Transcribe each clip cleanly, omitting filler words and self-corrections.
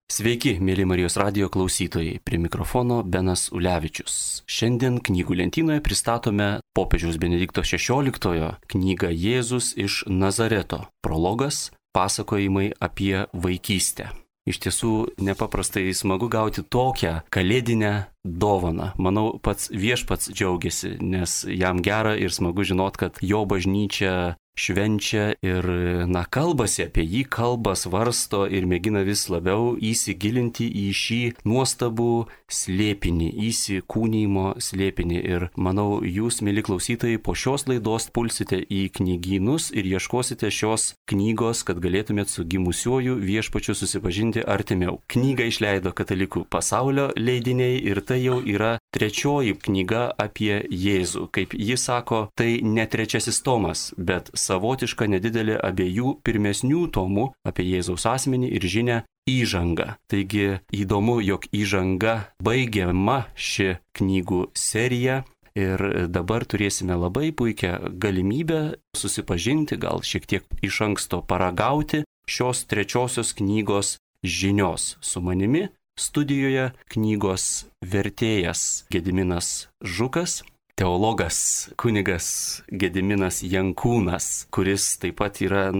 Sveiki, mėly Marijos radijo klausytojai, prie mikrofono Benas Ulevičius. Šiandien knygų lentynoje pristatome popiežiaus Benedikto XVI knygą Jėzus iš Nazareto. Prologas - pasakojimai apie vaikystę. Iš tiesų nepaprastai smagu gauti tokią kalėdinę dovaną. Manau, pats viešpats džiaugiasi, nes jam gera ir smagu žinot, kad jo bažnyčia švenčia ir, kalbasi apie jį, kalba, svarsto ir mėgina vis labiau įsigilinti į šį nuostabų slėpinį, įsikūnymo slėpinį. Ir manau, jūs, mėly klausytojai, po šios laidos pulsite į knygynus ir ieškosite šios knygos, kad galėtumėt su gimusiuoju viešpačiu susipažinti artimiau. Knygą išleido Katalikų pasaulio leidiniai ir tai jau yra trečioji knyga apie Jėzų. Kaip jis sako, tai ne trečiasis tomas, bet savotiška nedidelė abiejų pirmesnių tomų apie Jėzaus asmenį ir žinią įžanga. Taigi įdomu, jog įžanga baigiama ši knygų serija ir dabar turėsime labai puikią galimybę susipažinti, gal šiek tiek iš anksto paragauti šios trečiosios knygos žinios. Su manimi studijoje knygos vertėjas Gediminas Žukas, teologas kunigas Gediminas Jankūnas, kuris taip pat yra,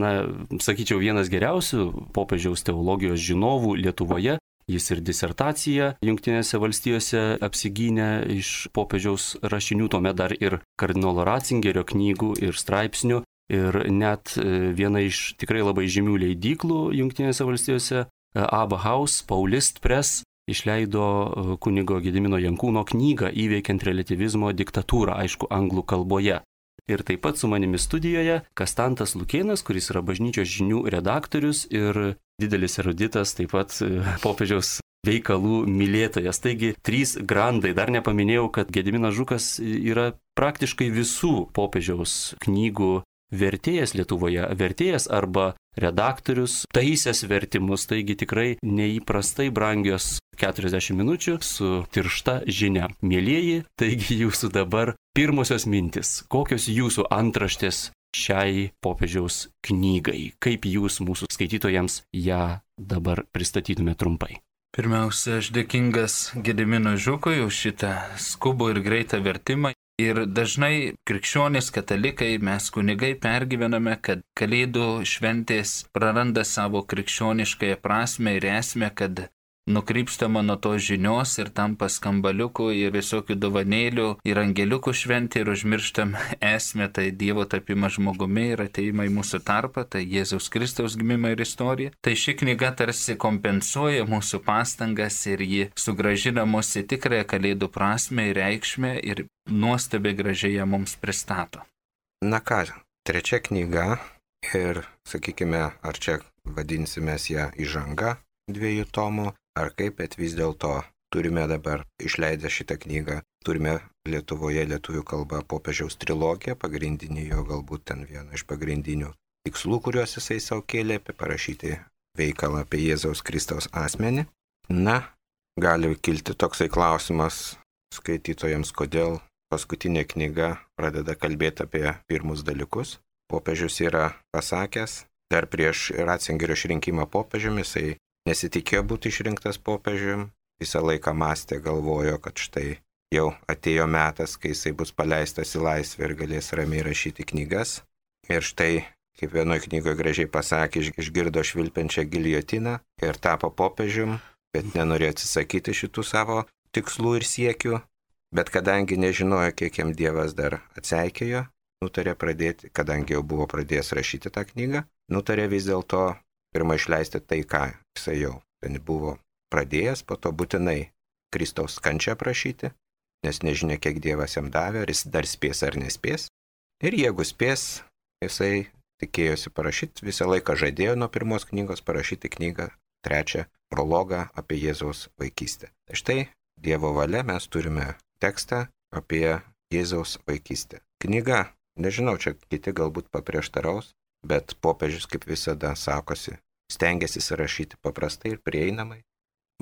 sakyčiau, vienas geriausių popiežiaus teologijos žinovų Lietuvoje. Jis ir disertaciją Jungtinėse valstijose apsigynė iš popiežiaus rašinių, tuomet dar ir kardinolo Ratzingerio knygų ir straipsnių. Ir net viena iš tikrai labai žymių leidyklų Jungtinėse valstijose, Abba House, Paulist Press, išleido kunigo Gedimino Jankūno knygą Įveikiant reliatyvizmo diktatūrą, aišku, anglų kalboje. Ir taip pat su manimi studijoje Kastantas Lukėnas, kuris yra bažnyčios žinių redaktorius ir didelis eruditas, taip pat popiežiaus veikalų mylėtojas. Taigi, trys grandai. Dar nepaminėjau, kad Gediminas Žukas yra praktiškai visų popiežiaus knygų vertėjas Lietuvoje, vertėjas arba redaktorius, taisęs vertimus, taigi tikrai neįprastai brangios 40 minučių su tiršta žinia. Mielieji, taigi jūsų dabar pirmosios mintis. Kokios jūsų antraštės šiai popiežiaus knygai? Kaip jūs mūsų skaitytojams ją dabar pristatytume trumpai? Pirmiausia, aš dėkingas Gediminui Žukui už šitą skubų ir greitą vertimą. Ir dažnai krikščionys katalikai, mes kunigai pergyvename, kad Kalėdų šventės praranda savo krikščioniškąją prasme ir esmę, kad nukrypstama nuo tos žinios ir tampa skambaliukų ir visokių dovanėlių ir angeliukų šventė ir užmirštam esmę, tai Dievo tapimą žmogumi ir ateimą į mūsų tarpą, tai Jėzaus Kristaus gimimą ir istoriją. Tai ši knyga tarsi kompensuoja mūsų pastangas ir ji sugrąžina mus į tikrąją Kalėdų prasmę ir reikšmę ir nuostabiai gražiai ją mums pristato. Trečia knyga ir, sakykime, ar čia vadinsime ją įžanga 2 tomų, ar kaip, bet vis dėlto turime dabar išleidę šitą knygą, turime Lietuvoje lietuvių kalba popiežiaus trilogiją, pagrindinį jo galbūt ten vieną iš pagrindinių tikslų, kuriuos jisai savo kėlė, parašyti veikalą apie Jėzaus Kristaus asmenį. Gali kilti toksai klausimas skaitytojams, kodėl paskutinė knyga pradeda kalbėti apie pirmus dalykus. Popiežius yra pasakęs, dar prieš Ratzingerio išrinkimą popiežiumi, jisai nesitikėjo būti išrinktas popiežiumi, visą laiką mąstė, galvojo, kad štai jau atėjo metas, kai jisai bus paleistas į laisvę ir galės ramiai rašyti knygas. Ir štai, kaip vienoje knygoje gražiai pasakė, išgirdo švilpiančią giljotiną ir tapo popiežiumi, bet nenorėjo atsisakyti šitų savo tikslų ir siekių. Bet kadangi nežinojo, kiek jam Dievas dar atseikėjo, nutarė pradėti, kadangi jau buvo pradėjęs rašyti tą knygą, nutarė vis dėlto pirmą išleisti tai, ką jisai jau ten buvo pradėjęs, po to būtinai Kristaus kančią prašyti, nes nežinia, kiek Dievas jam davė, ar jis dar spės ar nespės. Ir jeigu spės, jisai tikėjosi parašyti, visą laiką žadėjo nuo pirmos knygos parašyti knygą, trečią prologą apie Jėzaus vaikystę. Tai štai Dievo valia mes turime tekstą apie Jėzaus vaikystę. Knyga, nežinau, čia kiti galbūt paprieštaraus, bet popiežius kaip visada sakosi, stengiasi rašyti paprastai ir prieinamai.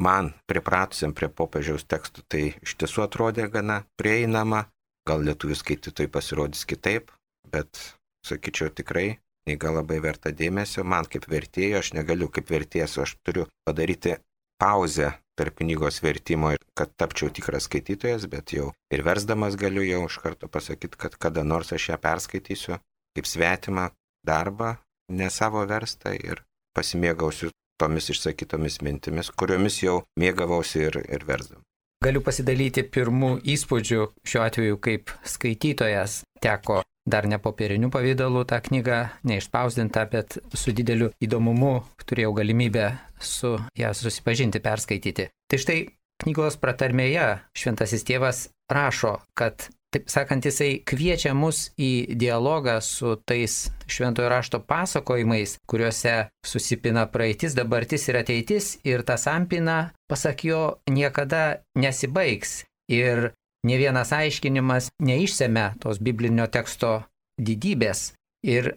Man, pripratusiam prie popiežiaus tekstų, tai iš tiesų atrodė gana prieinama, gal lietuvių skaitytojai pasirodys kitaip, bet, sakyčiau, tikrai knyga labai verta dėmesio. Man kaip vertėjo, aš negaliu kaip vertėjas, aš turiu padaryti pauzę tarp knygos vertimo, kad tapčiau tikras skaitytojas, bet jau ir versdamas galiu jau iš karto pasakyti, kad kada nors aš ją perskaitysiu kaip svetimą darbą, ne savo verstą ir pasimėgausiu tomis išsakytomis mintimis, kuriomis jau mėgavausi ir versdam. Galiu pasidalyti pirmų įspūdžių šiuo atveju kaip skaitytojas. Teko dar ne popieriniu pavydalu tą knygą, neišspausdinta, bet su dideliu įdomumu turėjau galimybę su ją susipažinti, perskaityti. Tai štai knygos pratarmėje šventasis tėvas rašo, kad, taip sakant, jisai kviečia mus į dialogą su tais šventojo rašto pasakojimais, kuriuose susipina praeitis, dabartis ir ateitis, ir ta sampina, pasak jo, niekada nesibaigs. Ir ne vienas aiškinimas neišsemia tos biblinio teksto didybės. Ir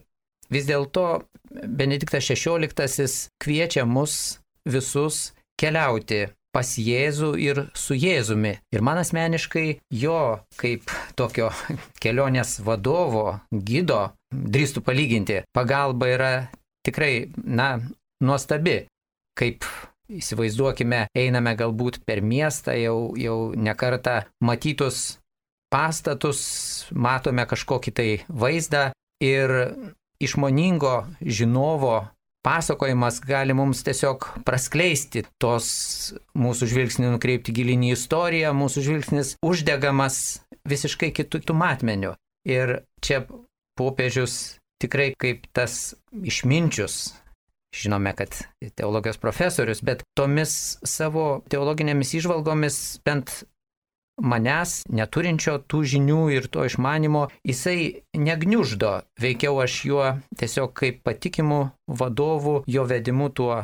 vis dėlto Benediktas XVI kviečia mus visus keliauti pas Jėzų ir su Jėzumi. Ir man asmeniškai jo kaip tokio kelionės vadovo, gido, drįstu palyginti, pagalba yra tikrai, nuostabi. Kaip įsivaizduokime, einame galbūt per miestą, jau nekartą matytus pastatus, matome kažkokį tai vaizdą ir išmoningo žinovo pasakojimas gali mums tiesiog praskleisti tos mūsų žvilgsnį, nukreipti gilinį istoriją, mūsų žvilgsnis uždegamas visiškai kitų matmenių. Ir čia popiežius tikrai kaip tas išminčius, žinome, kad teologijos profesorius, bet tomis savo teologinėmis įžvalgomis bent manęs, neturinčio tų žinių ir to išmanimo, jisai negniuždo. Veikiau aš juo tiesiog kaip patikimu vadovu, jo vedimu tuo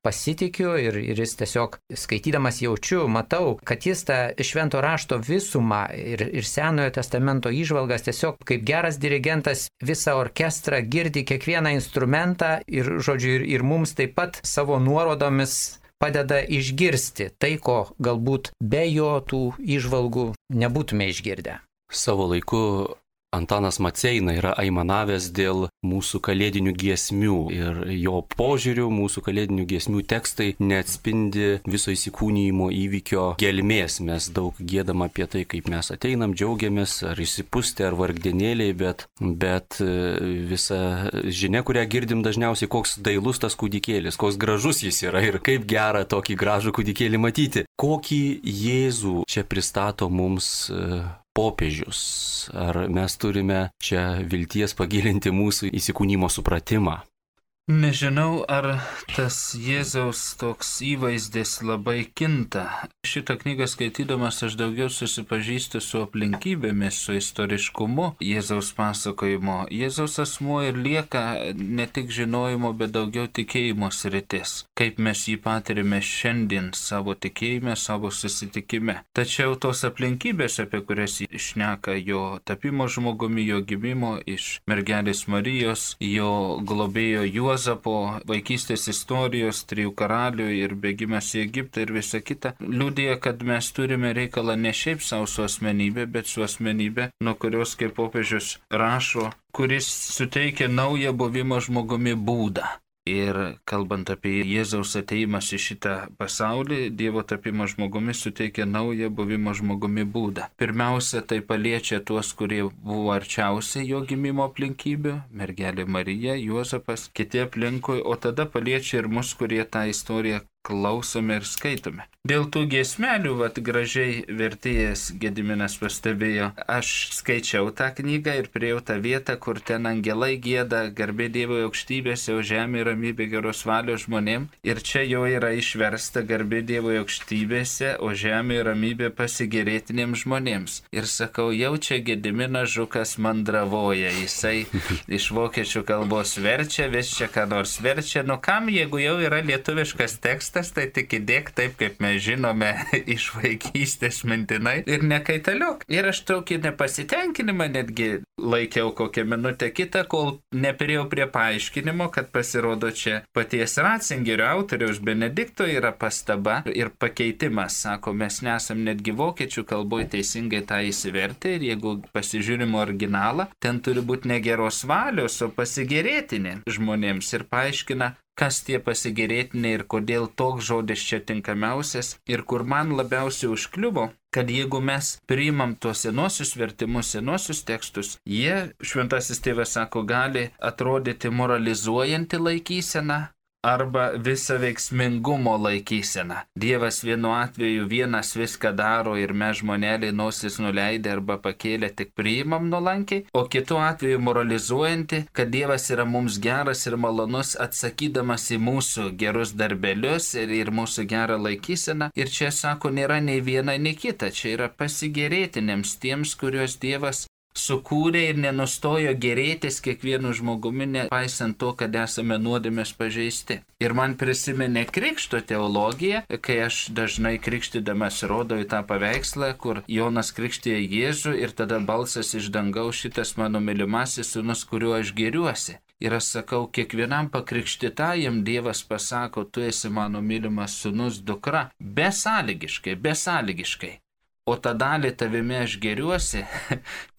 pasitikiu ir jis tiesiog skaitydamas jaučiu, matau, kad jis tą švento rašto visumą ir Senojo testamento įžvalgas tiesiog kaip geras dirigentas visą orkestrą girdi kiekvieną instrumentą ir, žodžiu, ir mums taip pat savo nuorodomis padeda išgirsti tai, ko galbūt be jo tų įžvalgų nebūtume išgirdę. Savo laiku Antanas Maceina yra aimanavęs dėl mūsų kalėdinių giesmių ir jo požiūrių mūsų kalėdinių giesmių tekstai neatspindi viso įsikūnijimo įvykio gelmės. Mes daug giedam apie tai, kaip mes ateinam, džiaugiamės, ar išsipūstę, ar vargdienėliai, bet visa žinia, kurią girdim dažniausiai, koks dailus tas kūdikėlis, koks gražus jis yra ir kaip gera tokį gražų kūdikėlį matyti. Kokį Jėzų čia pristato mums popiežius? Ar mes turime čia vilties pagilinti mūsų įsikūnymo supratimą? Nežinau, ar tas Jėzaus toks įvaizdis labai kinta. Šitą knygą skaitydamas aš daugiau susipažįstu su aplinkybėmis, su istoriškumu Jėzaus pasakojimo. Jėzaus asmuo ir lieka ne tik žinojimo, bet daugiau tikėjimo sritis. Kaip mes jį patirime šiandien savo tikėjime, savo susitikime. Tačiau tos aplinkybės, apie kurias jis šneka, jo tapimo žmogumi, jo gimimo iš mergelės Marijos, jo globėjo Juozapo, vaikystės istorijos, 3 karalių ir bėgimas į Egiptą ir visa kita, liudija, kad mes turime reikalą ne šiaip savo su asmenybė, bet su asmenybė, nuo kurios, kaip popiežius rašo, kuris suteikia naują buvimo žmogumi būdą. Ir kalbant apie Jėzaus ateimas į šitą pasaulį, Dievo tapimo žmogumi suteikia naują buvimo žmogumi būdą. Pirmiausia, tai paliečia tuos, kurie buvo arčiausiai jo gimimo aplinkybių, mergelė Marija, Juozapas, kiti aplinkui, o tada paliečia ir mus, kurie tą istoriją klausome ir skaitome. Dėl tų giesmelių, gražiai vertėjas Gediminas pastebėjo, aš skaičiau tą knygą ir priejau tą vietą, kur ten angelai gieda, garbė Dievo aukštybėse, o žemė ramybė geros valios žmonėm. Ir čia jo yra išversta garbė Dievo aukštybėse, o žemė ramybė pasigėrėtinėms žmonėms. Ir sakau, jau čia Gediminas Žukas mandravoja, jisai iš vokiečių kalbos verčia, vis čia ką nors verčia. Nu kam, jeigu jau yra lietuviškas tekstas, tai tik įdėk taip, kaip mes žinome iš vaikystės mintinai ir nekaitaliok. Ir aš tokį nepasitenkinimą netgi laikiau kokią minutę kitą, kol neperėjau prie paaiškinimo, kad pasirodo čia paties Ratzingerio autoriaus Benedikto yra pastaba ir pakeitimas. Sako, mes nesam netgi vokiečių kalboje teisingai tą įsivertę ir jeigu pasižiūrim originalą, ten turi būti ne geros valios, o pasigėrėtinė žmonėms. Ir paaiškina, kas tie pasigėrėtiniai ir kodėl toks žodis čia tinkamiausias. Ir kur man labiausiai užkliuvo, kad jeigu mes priimam tuos senosius vertimus, senosius tekstus, jie, šventasis tėvas sako, gali atrodyti moralizuojanti laikysena arba visą veiksmingumo laikysena. Dievas vienu atveju vienas viską daro ir mes žmoneliai nosis nuleidę arba pakėlę tik priimam nuolankiai, o kitu atveju moralizuojanti, kad Dievas yra mums geras ir malonus atsakydamas į mūsų gerus darbelius ir mūsų gerą laikyseną. Ir čia sako, nėra nei viena, nei kita. Čia yra pasigėrėtinėms tiems, kuriuos Dievas sukūrė ir nenustojo gerėtis kiekvienu žmogumi, nepaisant to, kad esame nuodėmės pažeisti. Ir man prisiminė krikšto teologija, kai aš dažnai krikštydamas rodau į tą paveikslą, kur Jonas krikštija Jėzų ir tada balsas iš dangaus, šitas mano mylimasis sūnus, kuriuo aš gėriuosi. Ir aš sakau, kiekvienam pakrikštytajam Dievas pasako, tu esi mano mylimas sūnus, dukra, besąlygiškai. O tą dalį tavimi aš gėriuosi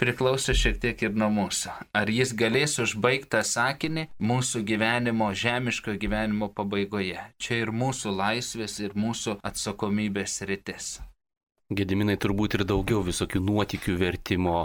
priklauso šiek tiek ir nuo mūsų. Ar jis galės užbaigti tą sakinį mūsų gyvenimo, žemiško gyvenimo pabaigoje. Čia ir mūsų laisvės, ir mūsų atsakomybės rytis. Gediminai, turbūt ir daugiau visokių nuotykių vertimo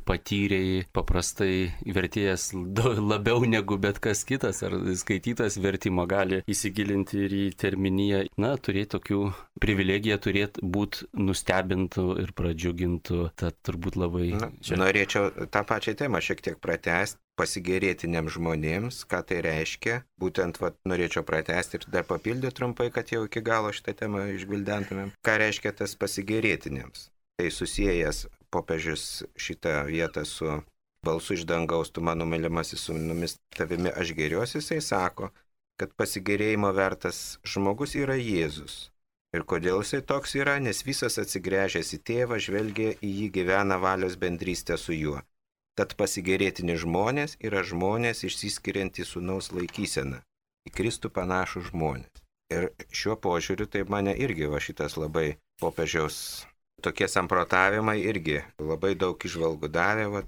patyrėjai, paprastai vertėjas labiau negu bet kas kitas ar skaitytas vertimo gali įsigilinti ir į terminiją. Na, turėti tokių privilegiją, turėti būti nustebintų ir pradžiugintų, tad turbūt labai... Norėčiau tą pačią temą šiek tiek pratęsti. Pasigėrėtiniams žmonėms, ką tai reiškia. Būtent norėčiau pratęsti ir dar papildyti trumpai, kad jau iki galo šitą temą išgvildentumėm. Ką reiškia tas pasigėrėtiniams? Tai susijęs popiežius šitą vietą su balsu iš dangaus, tu mano mylimasis sūnumis, tavimi aš gėriuosi, jisai sako, kad pasigėrėjimo vertas žmogus yra Jėzus. Ir kodėl jisai toks yra? Nes visas atsigręžęs į tėvą, žvelgia į jį, gyvena valios bendrystę su juo. Tad pasigėrėtini žmonės yra žmonės išsiskiriantys sūnaus laikyseną, į Kristų panašų žmonės. Ir šiuo požiūriu tai mane irgi šitas labai popiežiaus tokie samprotavimai irgi labai daug įžvalgų davė,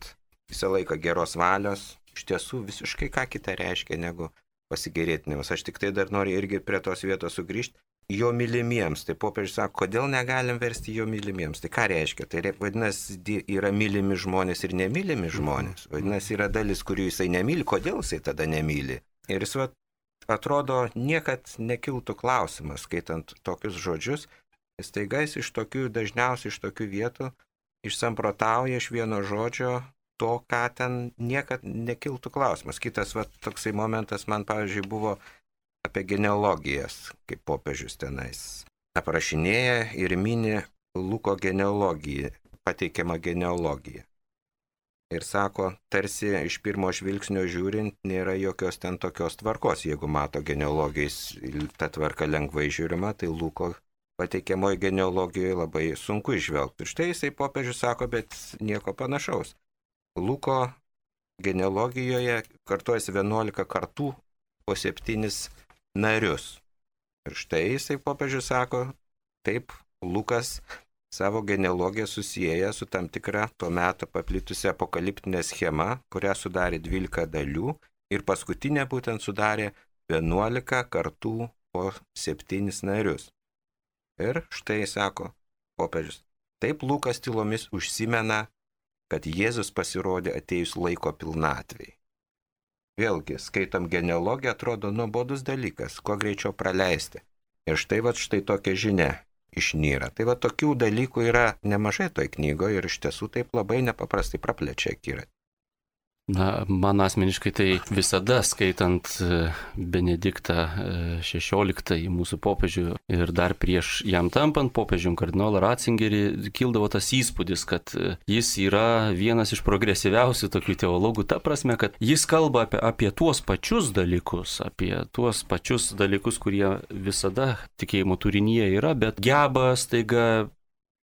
visą laiką geros valios, iš tiesų visiškai ką kita reiškia negu pasigėrėtinimas. Aš tik tai dar noriu irgi prie tos vietos sugrįžti. Jo mylimiems, tai popiežius sako, kodėl negalim versti jo mylimiems, tai ką reiškia? Tai vadinasi, yra mylimi žmonės ir nemylimi žmonės, vadinasi, yra dalis, kurių jisai nemyli, kodėl jisai tada nemyli. Ir jis atrodo, niekad nekiltų klausimas, skaitant tokius žodžius, jis taigais dažniausiai iš tokių vietų išsamprotauja iš vieno žodžio to, ką ten niekad nekiltų klausimas. Kitas toksai momentas man, pavyzdžiui, buvo apie genealogijas, kaip popiežius tenais aprašinėja ir mini Luko genealogiją, pateikiamą genealogiją. Ir sako, tarsi iš pirmo žvilgsnio žiūrint, nėra jokios ten tokios tvarkos. Jeigu mato genealogijais, ta tvarka lengvai žiūrima, tai Luko pateikiamoje genealogijoje labai sunku išvelgti. Ir štai jisai popiežius sako, bet nieko panašaus. Luko genealogijoje kartuojasi 11 kartų po 7 narius. Ir štai jisai popiežius sako, taip, Lukas savo genealogiją susieja su tam tikra tuo metu paplitusi apokaliptinė schema, kurią sudarė 12 dalių ir paskutinė būtent sudarė 11 kartų po 7 narius. Ir štai sako popiežius, taip Lukas tylomis užsimena, kad Jėzus pasirodė atėjus laiko pilnatvei. Vėlgi, skaitom genealogiją, atrodo nuobodus dalykas, kuo greičiau praleisti. Ir štai tokia žinia išnyra. Tai tokių dalykų yra nemažai toj knygoje ir iš tiesų taip labai nepaprastai praplečia akiratį. Na, man asmeniškai tai visada skaitant Benediktą XVI mūsų popiežių ir dar prieš jam tampant popiežium kardinolą Ratzingerį kildavo tas įspūdis, kad jis yra vienas iš progresyviausių tokių teologų, ta prasme, kad jis kalba apie tuos pačius dalykus, kurie visada tikėjimo turinyje yra, bet geba staiga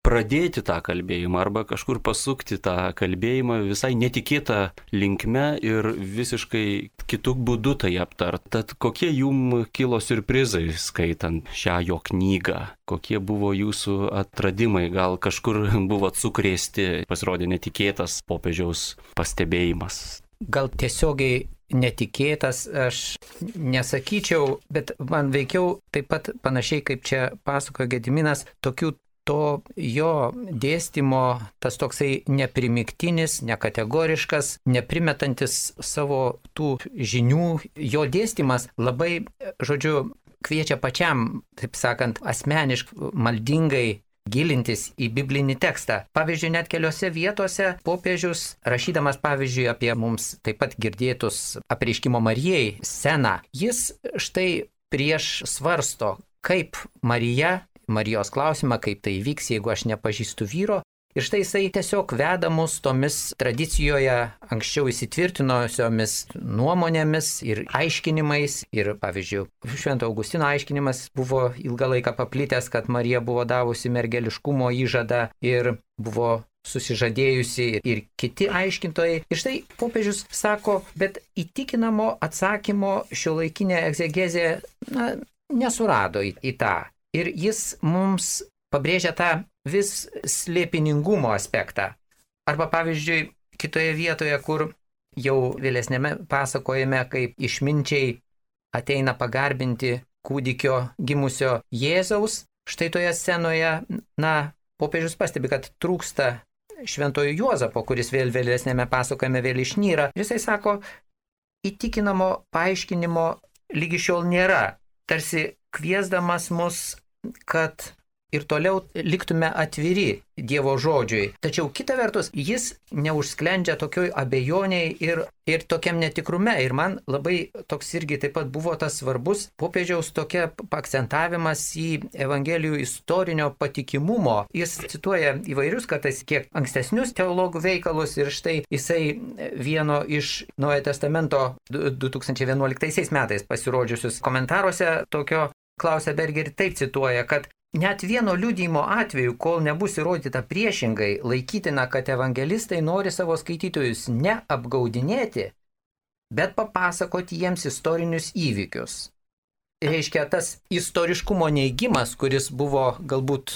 pradėti tą kalbėjimą arba kažkur pasukti tą kalbėjimą visai netikėtą linkme ir visiškai kitų būdų tai aptart. Tad kokie jums kilo siurprizai skaitant šią jo knygą? Kokie buvo jūsų atradimai? Gal kažkur buvot sukrėsti, pasirodė netikėtas popiežiaus pastebėjimas? Gal tiesiogiai netikėtas, aš nesakyčiau, bet man veikiau taip pat panašiai kaip čia pasakojo Gediminas, tokių to jo dėstymo, tas toksai neprimiktinis, nekategoriškas, neprimetantis savo tų žinių, jo dėstymas labai, žodžiu, kviečia pačiam, taip sakant, asmeniškai, maldingai gilintis į biblinį tekstą. Pavyzdžiui, net keliose vietose popiežius, rašydamas pavyzdžiui apie mums taip pat girdėtus apreiškimo Marijai sceną, jis štai prieš svarsto, kaip Marijos klausimą, kaip tai vyks, jeigu aš nepažįstu vyro. Ir štai jisai tiesiog veda mus tomis tradicijoje anksčiau įsitvirtinosiomis nuomonėmis ir aiškinimais. Ir pavyzdžiui, Švento Augustino aiškinimas buvo ilgą laiką paplitęs, kad Marija buvo davusi mergeliškumo įžadą ir buvo susižadėjusi ir kiti aiškintojai. Ir štai popiežius sako, bet įtikinamo atsakymo šiuolaikinė egzegezė nesurado į tą. Ir jis mums pabrėžia tą vis slėpiningumo aspektą. Arba pavyzdžiui, kitoje vietoje, kur jau vėlesnėme pasakojame, kaip išminčiai ateina pagarbinti kūdikio gimusio Jėzaus, štai toje scenoje, popiežius pastebi, kad trūksta šventojo Juozapo, kuris vėl vėlesnėme pasakojame vėl išnyra. Jisai sako, įtikinamo paaiškinimo lygi šiol nėra, tarsi kviesdamas mus, kad ir toliau liktume atviri Dievo žodžiui. Tačiau kita vertus, jis neužsklendžia tokioj abejoniai ir tokiam netikrume. Ir man labai toks irgi taip pat buvo tas svarbus popiežiaus tokia akcentavimas į Evangelijų istorinio patikimumo. Jis cituoja įvairius kartais kiek ankstesnius teologų veikalus ir štai jisai vieno iš Naujojo Testamento 2011 metais pasirodžiusius komentaruose tokio Klausia Berger taip cituoja, kad net vieno liudijimo atveju, kol nebus įrodyta priešingai, laikytina, kad evangelistai nori savo skaitytojus ne apgaudinėti, bet papasakoti jiems istorinius įvykius. Reiškia, tas istoriškumo neigimas, kuris buvo galbūt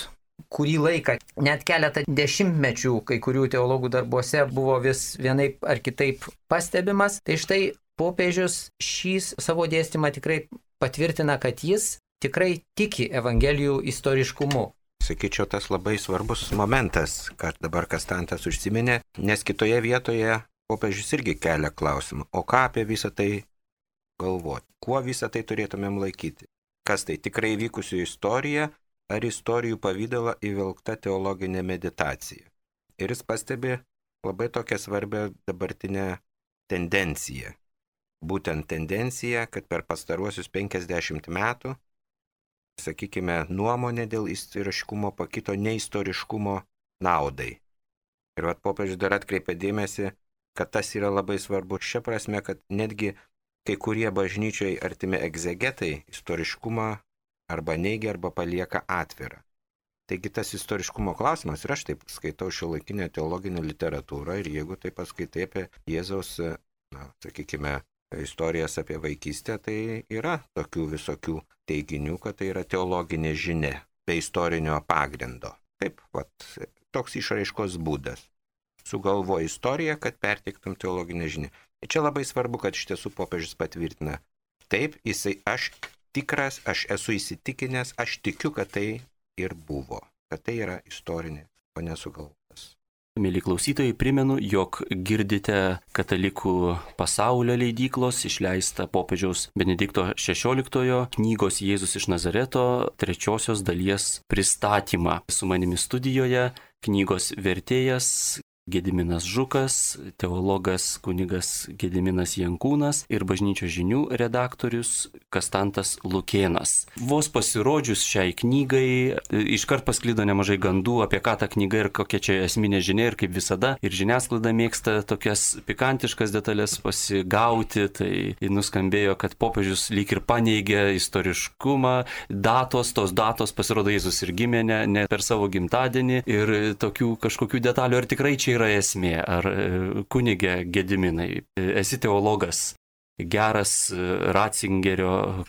kurį laiką, net keletą dešimtmečių, kai kurių teologų darbuose buvo vis vienaip ar kitaip pastebimas, tai štai popiežius šį savo dėstymą tikrai patvirtina, kad jis tikrai tiki Evangelijų istoriškumu. Sakyčiau, tas labai svarbus momentas, kad dabar Kastantas užsiminė, nes kitoje vietoje popiežius irgi kelia klausimą, o ką apie visą tai galvoti, kuo visą tai turėtumėm laikyti, kas tai tikrai vykusi istorija ar istorijų pavydalą įvilkta teologinė meditacija. Ir jis pastebi labai tokią svarbią dabartinę tendenciją. Būtent tendencija, kad per pastaruosius 50 metų sakykime, nuomonė dėl istoriškumo pakito neistoriškumo naudai. Ir popiežius dar atkreipia dėmesį, kad tas yra labai svarbu šia prasme, kad netgi kai kurie bažnyčiai artimi egzegetai istoriškumą arba neigia, arba palieka atvirą. Taigi tas istoriškumo klausimas, ir aš taip skaitau šiuolaikinę teologinę literatūrą, ir jeigu taip paskaitai apie Jėzaus, sakykime, istorijas apie vaikystę, tai yra tokių visokių teiginių, kad tai yra teologinė žinia, be istorinio pagrindo. Taip, toks išraiškos būdas. Sugalvoji istoriją, kad perteiktum teologinę žinią. Ir čia labai svarbu, kad iš tiesų popiežius patvirtina. Taip, aš tikras, aš esu įsitikinęs, aš tikiu, kad tai ir buvo, kad tai yra istorinė, o nesugalvotas. Mėly klausytojai, primenu, jog girdite Katalikų pasaulio leidyklos išleistą popiežiaus Benedikto XVI knygos Jėzus iš Nazareto 3 dalies pristatymą. Su manimi studijoje knygos vertėjas Gediminas Žukas, teologas kunigas Gediminas Jankūnas ir bažnyčios žinių redaktorius Kastantas Lukėnas. Vos pasirodžius šiai knygai, iškart pasklido nemažai gandų apie ką ta knyga ir kokia čia esminė žinia, ir kaip visada. Ir žiniasklaida mėgsta tokias pikantiškas detalės pasigauti, tai nuskambėjo, kad popiežius lyg ir paneigė istoriškumą, tos datos pasirodo Jėzus ir gimė ne per savo gimtadienį ir tokių kažkokių detalių. Ar tikrai čia yra esmė? Ar kunige Gediminai, esi teologas? geras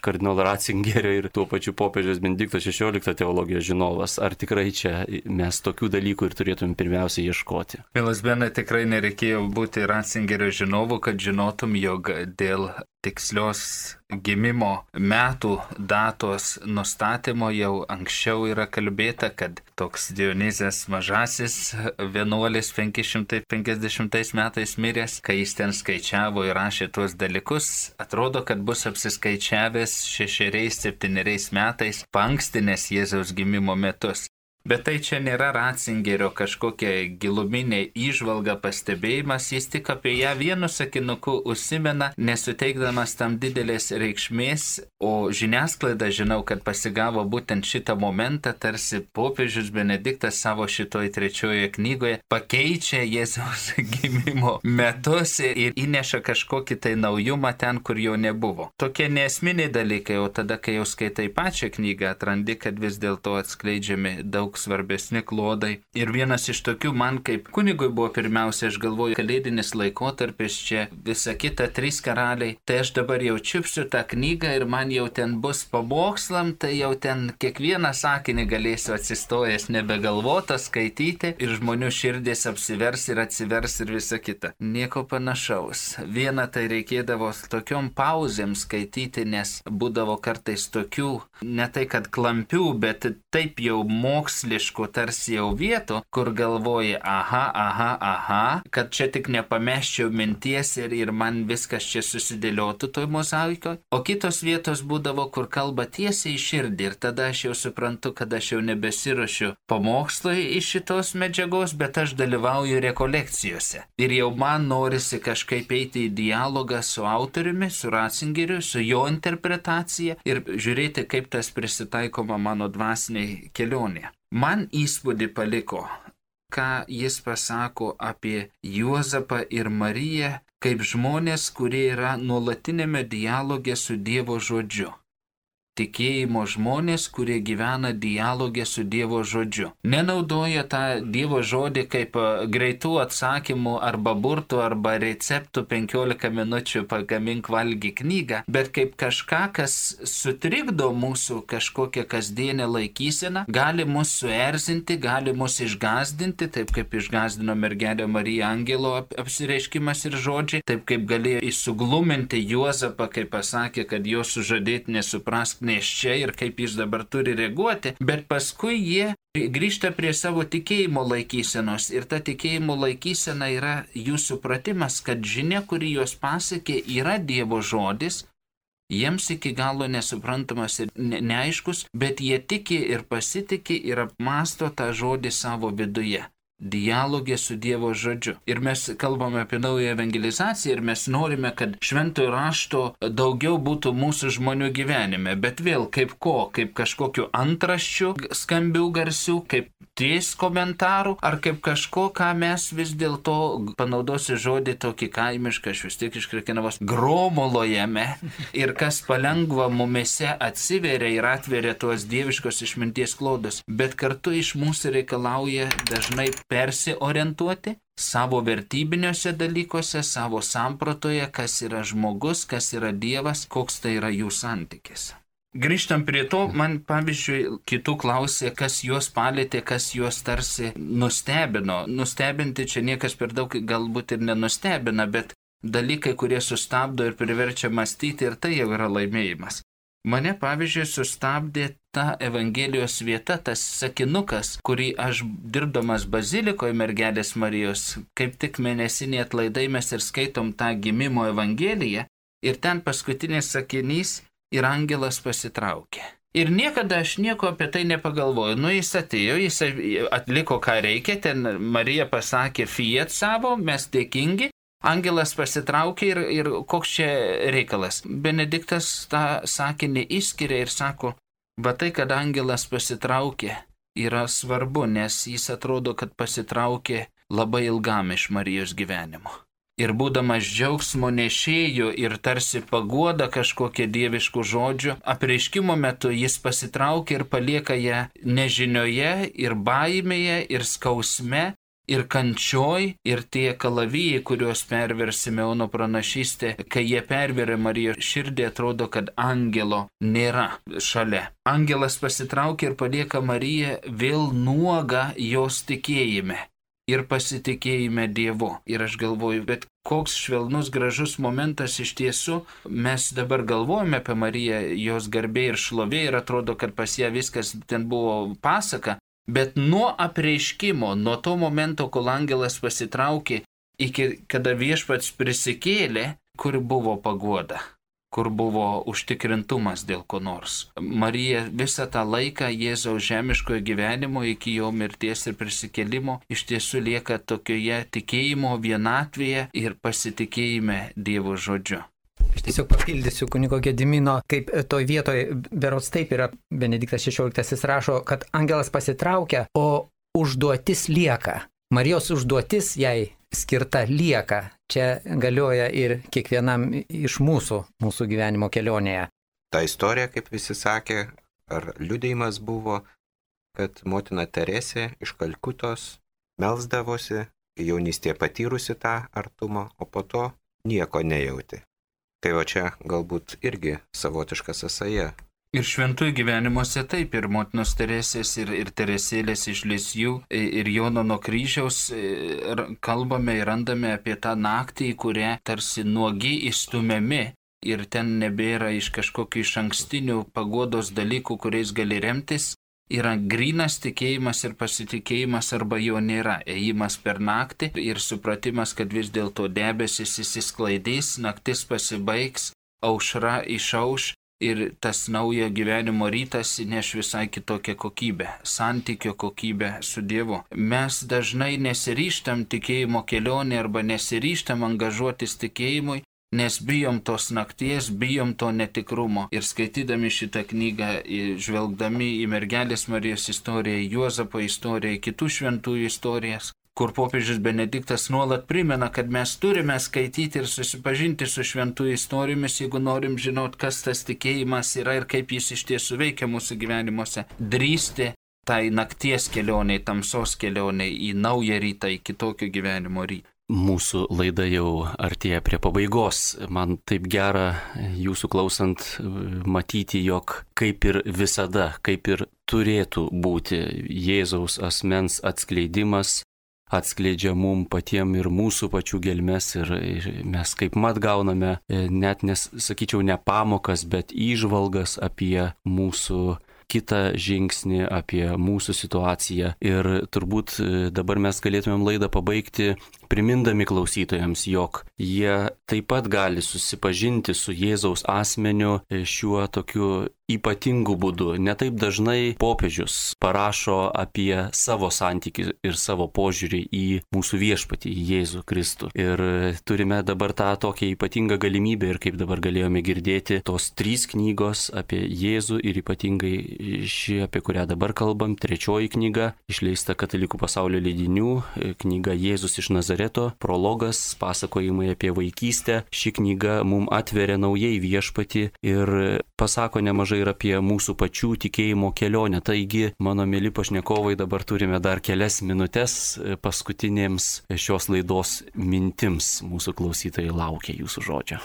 kardinolo Ratzingerio ir tuo pačiu popiežiaus Benedikto XVI teologijos žinovas. Ar tikrai čia mes tokių dalykų ir turėtum pirmiausia ieškoti? Milas Benai, tikrai nereikėjo būti Ratzingerio žinovu, kad žinotum, jog dėl tikslios gimimo metų datos nustatymo jau anksčiau yra kalbėta, kad toks Dionizas Mažasis vienuolis 550 metais miręs, kai jis ten skaičiavo ir rašė tuos dalykus, atrodo, kad bus apsiskaičiavęs 6-7 metais paankstinės Jėzaus gimimo metus. Bet tai čia nėra Ratzingerio kažkokia giluminė įžvalga, pastebėjimas, jis tik apie ją vienu sakinuku užsimena, nesuteikdamas tam didelės reikšmės, o žiniasklaida, žinau, kad pasigavo būtent šitą momentą, tarsi popiežius Benediktas savo šitoj 3 knygoje pakeičia Jėzaus gimimo metus ir įneša kažkokį tai naujumą ten, kur jo nebuvo. Tokie neesminiai dalykai, o tada, kai jau skaitai pačią knygą, atrandi, kad vis dėlto atskleidžiami daug svarbesni klodai. Ir vienas iš tokių man kaip kunigui buvo pirmiausia, aš galvoju, kalėdinis laikotarpis, čia visa kita 3 karaliai, tai aš dabar jau čiupsiu tą knygą ir man jau ten bus pamokslam, tai jau ten kiekvieną sakinį galėsiu atsistojęs nebegalvotas skaityti ir žmonių širdis apsivers ir atsivers ir visa kita. Nieko panašaus. Viena tai reikėdavo tokiom pauzėm skaityti, nes būdavo kartais tokių, ne tai kad klampių, bet taip jau moksliškų tarsi jau vietų, kur galvoji, aha, kad čia tik nepameščiau minties ir man viskas čia susidėliotų toj mozaikoje. O kitos vietos būdavo, kur kalba tiesiai į širdį ir tada aš jau suprantu, kad aš jau nebesiruošiu pamokslui iš šitos medžiagos, bet aš dalyvauju rekolekcijose. Ir jau man norisi kažkaip eiti į dialogą su autoriumi, su Ratzingeriu, su jo interpretacija ir žiūrėti, kaip tas prisitaikoma mano dvasiniai kelionė. Man įspūdį paliko, ką jis pasako apie Juozapą ir Mariją kaip žmonės, kurie yra nuolatinėme dialoge su Dievo žodžiu. Tikėjimo žmonės, kurie gyvena dialogė su Dievo žodžiu. Nenaudoja tą Dievo žodį kaip greitų atsakymų arba burtų arba receptų 15 minučių pagamink valgy knygą, bet kaip kažką, kas sutrikdo mūsų kažkokią kasdienę laikyseną, gali mus suerzinti, gali mus išgazdinti, taip kaip išgazdino mergelę Mariją angelo apsireiškimas ir žodžiai, taip kaip galėjo įsugluminti Juozapą, kai pasakė, kad jo sužadėtinė suprask neščia ir kaip jis dabar turi reaguoti, bet paskui jie grįžta prie savo tikėjimo laikysenos ir ta tikėjimo laikysena yra jų supratimas, kad žinia, kuri juos pasiekė, yra Dievo žodis, jiems iki galo nesuprantamas ir neaiškus, bet jie tiki ir pasitiki ir apmąsto tą žodį savo viduje. Dialogė su Dievo žodžiu. Ir mes kalbame apie naują evangelizaciją ir mes norime, kad šventojo rašto daugiau būtų mūsų žmonių gyvenime. Bet vėl kaip ko? Kaip kažkokiu antraščių skambių garsių, kaip ties komentarų, ar kaip kažko, ką mes vis dėlto, panaudosiu žodį tokį kaimišką, aš vis tiek iš Krekenavos, gromulojame ir kas palengva mumise atsiveria ir atveria tuos dieviškos išminties klodus. Bet kartu iš mūsų reikalauja dažnai persiorientuoti savo vertybiniuose dalykuose, savo sampratoje, kas yra žmogus, kas yra Dievas, koks tai yra jų santykis. Grįžtam prie to, man pavyzdžiui, kitų klausė, kas juos palėtė, kas juos tarsi nustebino. Nustebinti čia niekas per daug galbūt ir nenustebina, bet dalykai, kurie sustabdo ir priverčia mąstyti, ir tai jau yra laimėjimas. Mane, pavyzdžiui, sustabdė ta Evangelijos vieta, tas sakinukas, kurį aš dirbdamas bazilikoje mergelės Marijos, kaip tik mėnesiniai atlaidai mes ir skaitom tą gimimo Evangeliją, ir ten paskutinis sakinys ir angelas pasitraukė. Ir niekada aš nieko apie tai nepagalvoju. Jis atėjo, jis atliko ką reikia, ten Marija pasakė fiat savo, mes dėkingi. Angelas pasitraukė ir koks čia reikalas. Benediktas tą sakinį išskiria ir sako, va tai, kad angelas pasitraukė, yra svarbu, nes jis atrodo, kad pasitraukė labai ilgam iš Marijos gyvenimo. Ir būdamas džiaugsmo nešėjų ir tarsi paguoda kažkokie dieviškų žodžių, apreiškimo metu jis pasitraukia ir palieka ją nežinioje ir baimėje ir skausme, ir kančioj, ir tie kalavijai, kuriuos pervers Simeono pranašystė, kai jie perveria Marijos širdį, atrodo, kad angelo nėra šalia. Angelas pasitraukia ir palieka Mariją vėl nuogą jos tikėjime ir pasitikėjime Dievu. Ir aš galvoju, bet koks švelnus, gražus momentas iš tiesų. Mes dabar galvojame apie Mariją, jos garbė ir šlovė, ir atrodo, kad pas ją viskas ten buvo pasaka. Bet nuo apreiškimo, nuo to momento, kol angelas pasitraukė, iki kada viešpats prisikėlė, kur buvo paguoda, kur buvo užtikrintumas dėl ko nors. Marija visą tą laiką Jėzaus žemiškojo gyvenimo iki jo mirties ir prisikėlimo iš tiesų lieka tokioje tikėjimo vienatvėje ir pasitikėjime Dievo žodžiu. Aš tiesiog papildysiu kunigo Gedimino, kaip toj vietoje, berods taip yra, Benediktas XVI rašo, kad angelas pasitraukia, o užduotis lieka. Marijos užduotis jai skirta lieka. Čia galioja ir kiekvienam iš mūsų gyvenimo kelionėje. Ta istorija, kaip visi sakė, ar liudijimas buvo, kad motina Teresė iš Kalkutos melsdavosi, jaunystėje patyrusi tą artumą, o po to nieko nejauti. Tai o čia galbūt irgi savotiška sąsaja. Ir šventųjų gyvenimuose taip, ir motinos Teresės, ir Teresėlės iš Lisieux, ir Jono nuo kryžiaus kalbame ir randame apie tą naktį, į kurią tarsi nuogi įstumiami, ir ten nebėra iš kažkokių iš ankstinių paguodos dalykų, kuriais gali remtis. Yra grynas tikėjimas ir pasitikėjimas arba jo nėra. Ėjimas per naktį ir supratimas, kad vis dėlto debesis įsisklaidys, naktis pasibaigs, aušra išauš ir tas naujo gyvenimo rytas įneš visai kitokią kokybę, santykio kokybę su Dievu. Mes dažnai nesiryžtam tikėjimo kelionė arba nesiryžtam angažuotis tikėjimui, nes bijom tos nakties, bijom to netikrumo. Ir skaitydami šitą knygą, žvelgdami į mergelės Marijos istoriją, Juozapo istoriją, kitų šventųjų istorijas, kur popiežius Benediktas nuolat primena, kad mes turime skaityti ir susipažinti su šventųjų istorijomis, jeigu norim žinot, kas tas tikėjimas yra ir kaip jis iš tiesų veikia mūsų gyvenimuose. Drįsti tai nakties kelioniai, tamsos kelioniai į naują rytą, į kitokio gyvenimo rytą. Mūsų laida jau artėja prie pabaigos. Man taip gera jūsų klausant matyti, jog kaip ir visada, kaip ir turėtų būti Jėzaus asmens atskleidimas, atskleidžia mum patiem ir mūsų pačių gelmes ir mes kaip mat gauname net, sakyčiau, ne pamokas, bet įžvalgas apie mūsų kitą žingsnį, apie mūsų situaciją. Ir turbūt dabar mes galėtumėm laidą pabaigti primindami klausytojams, jog jie taip pat gali susipažinti su Jėzaus asmeniu šiuo tokiu ypatingu būdu. Netaip dažnai popiežius parašo apie savo santykį ir savo požiūrį į mūsų viešpatį, į Jėzų Kristų. Ir turime dabar tą tokią ypatingą galimybę ir kaip dabar galėjome girdėti, tos 3 knygos apie Jėzų ir ypatingai ši, apie kurią dabar kalbam, 3 knyga, išleista Katalikų pasaulio leidinių, knyga Jėzus iš Nazareto, prologas, pasakojimai apie vaikystę. Ši knyga mums atveria naujai viešpatį ir pasako nemažai ir apie mūsų pačių tikėjimo kelionę. Taigi, mano mėly pašnekovai, dabar turime dar kelias minutės paskutinėms šios laidos mintims. Mūsų klausytojai laukia jūsų žodžio.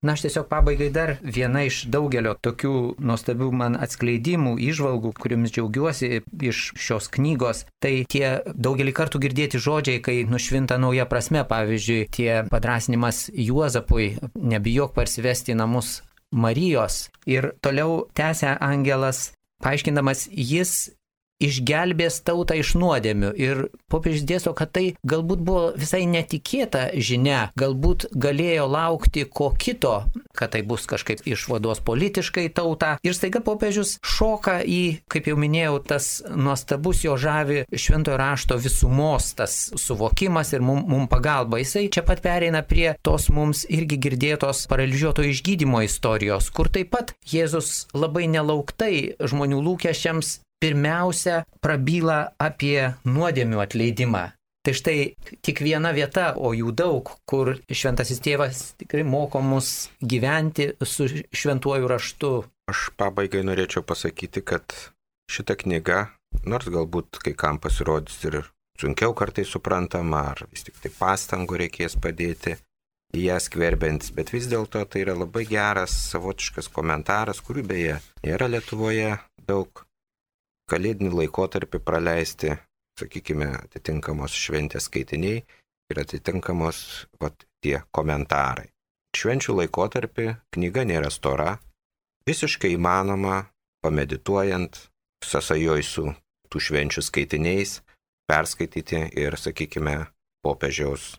Na, aš tiesiog pabaigai dar viena iš daugelio tokių nuostabių man atskleidimų, įžvalgų, kuriomis džiaugiuosi iš šios knygos. Tai tie daugelį kartų girdėti žodžiai, kai nušvinta nauja prasme, pavyzdžiui, tie padrasinimas Juozapui, nebijok parsivesti į namus Marijos. Ir toliau tęsia angelas, paaiškindamas, jis išgelbės tautą iš nuodėmių. Ir popiežius dėsto, kad tai galbūt buvo visai netikėta žinia, galbūt galėjo laukti ko kito, kad tai bus kažkaip išvados politiškai tautą. Ir staiga popiežius šoka į, kaip jau minėjau, tas nuostabus jo žavi šventojo rašto visumos, tas suvokimas ir mum pagalba. Jisai čia pat pereina prie tos mums irgi girdėtos paralyžiuoto išgydymo istorijos, kur taip pat Jėzus labai nelauktai žmonių lūkesčiams pirmiausia prabyla apie nuodėmių atleidimą. Tai štai tik viena vieta, o jų daug, kur šventasis tėvas tikrai moko mus gyventi su šventuoju raštu. Aš pabaigai norėčiau pasakyti, kad šita knyga, nors galbūt kai kam pasirodys ir sunkiau kartais suprantama, ar vis tik tai pastangų reikės padėti į ją skverbiantis, bet vis dėlto tai yra labai geras savotiškas komentaras, kurių beje nėra Lietuvoje daug. Kalėdinį laikotarpį praleisti, sakykime, atitinkamos šventės skaitiniai ir atitinkamos tie komentarai. Švenčių laikotarpį knyga nėra stora, visiškai įmanoma, pamedituojant, sąsajoj su tų švenčių skaitiniais, perskaityti ir, sakykime, popiežiaus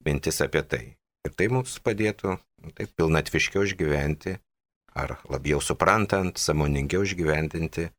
mintis apie tai. Ir tai mums padėtų taip pilnatviškiau išgyventi, ar labiau suprantant, sąmoningiau išgyventinti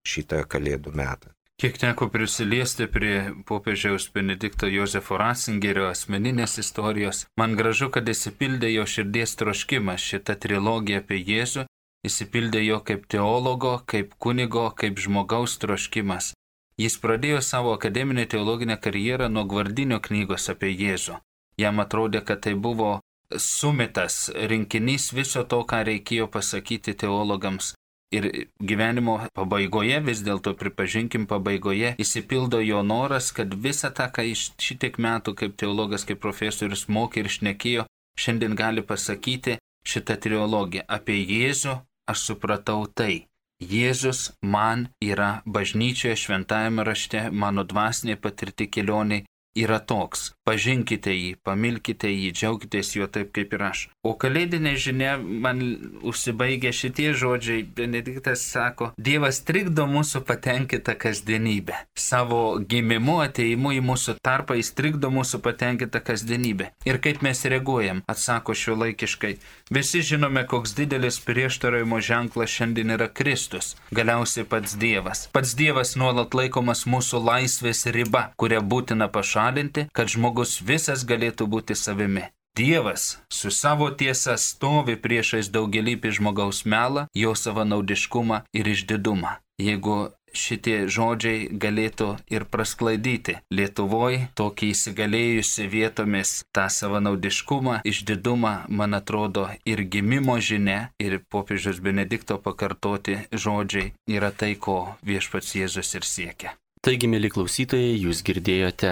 šitą Kalėdų metą. Kiek teko prisiliesti prie popiežiaus Benedikto Jozefo Ratzingerio asmeninės istorijos, man gražu, kad įsipildė jo širdies troškimas šita trilogija apie Jėzų, įsipildė jo kaip teologo, kaip kunigo, kaip žmogaus troškimas. Jis pradėjo savo akademinę teologinę karjerą nuo Gvardinio knygos apie Jėzų. Jam atrodė, kad tai buvo sumitas rinkinys viso to, ką reikėjo pasakyti teologams. Ir gyvenimo pabaigoje, vis dėlto pripažinkim pabaigoje, įsipildo jo noras, kad visą tą, ką iš šitiek metų kaip teologas, kaip profesorius mokė ir šnekėjo, šiandien gali pasakyti šitą trilogiją. Apie Jėzų aš supratau tai. Jėzus man yra bažnyčioje, šventajame rašte, mano dvasinė patirti kelioniai yra toks. Pažinkite jį, pamilkite jį, džiaukitės juo taip kaip ir aš. O kalėdinė žinia man užsibaigė šitie žodžiai. Benediktas sako, Dievas trikdo mūsų patenkintą kasdienybę. Savo gimimu, ateimu į mūsų tarpą jis trikdo mūsų patenkintą kasdienybę. Ir kaip mes reaguojam, atsako šiuolaikiškai. Visi žinome, koks didelis prieštaravimo ženklas šiandien yra Kristus. Galiausiai pats Dievas. Pats Dievas nuolat laikomas mūsų laisvės riba, kurią būtina pašalinti, kad žmogus visas galėtų būti savimi. Dievas su savo tiesa stovi priešais daugelįpį žmogaus melą, jo savanaudiškumą ir išdidumą. Jeigu šitie žodžiai galėtų ir prasklaidyti Lietuvoje, tokį įsigalėjusi vietomis tą savanaudiškumą, išdidumą, man atrodo, ir gimimo žinia, ir popiežiaus Benedikto pakartoti žodžiai yra tai, ko viešpats Jėzus ir siekia. Taigi, mėly klausytojai, jūs girdėjote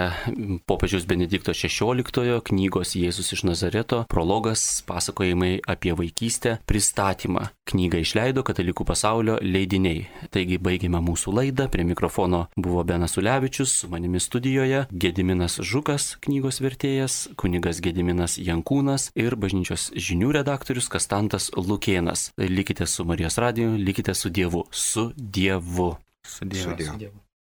popiežiaus Benedikto XVI knygos Jėzus iš Nazareto prologas pasakojimai apie vaikystę pristatymą. Knygą išleido Katalikų pasaulio leidiniai. Taigi, baigėme mūsų laidą. Prie mikrofono buvo Benas Ulevičius, su manimi studijoje Gediminas Žukas, knygos vertėjas, kunigas Gediminas Jankūnas ir bažnyčios žinių redaktorius Kastantas Lukėnas. Likite su Marijos radiju, likite su Dievu. Su Dievu. Su Dievu. Su Dievu.